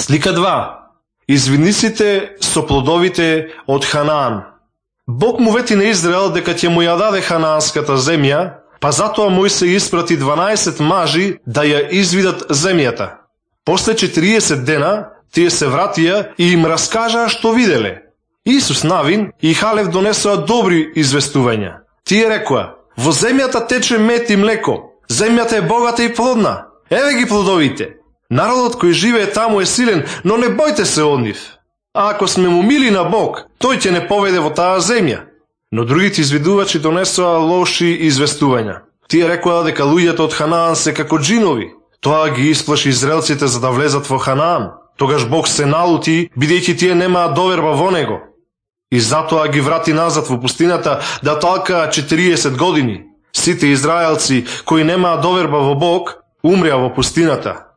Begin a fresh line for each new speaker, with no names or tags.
Слика 2. Извинисите со плодовите од Ханаан. Бог му вети на Израел дека ќе му ја даде ханаанската земја, па затоа Мојсе испрати 12 мажи да ја извидат земјата. После 40 дена тие се вратија и им раскажаа што виделе. Исус Навин и Халев донесоа добри известувања. Тие рекоа: во земјата тече мед и млеко, земјата е богата и плодна. Еве ги плодовите. Народот кој живее таму е силен, но не бојте се од нив. А ако сме му мили на Бог, тој ќе не поведе во таа земја. Но другите извидувачи донесоа лоши известувања. Тие рекоа дека луѓето од Ханаан се како джинови. Тоа ги исплаши израелците за да влезат во Ханаан. Тогаш Бог се налути, бидејќи тие немаат доверба во него. И затоа ги врати назад во пустината да талкаат 40 години. Сите израелци кои немаат доверба во Бог, умреа во пустината.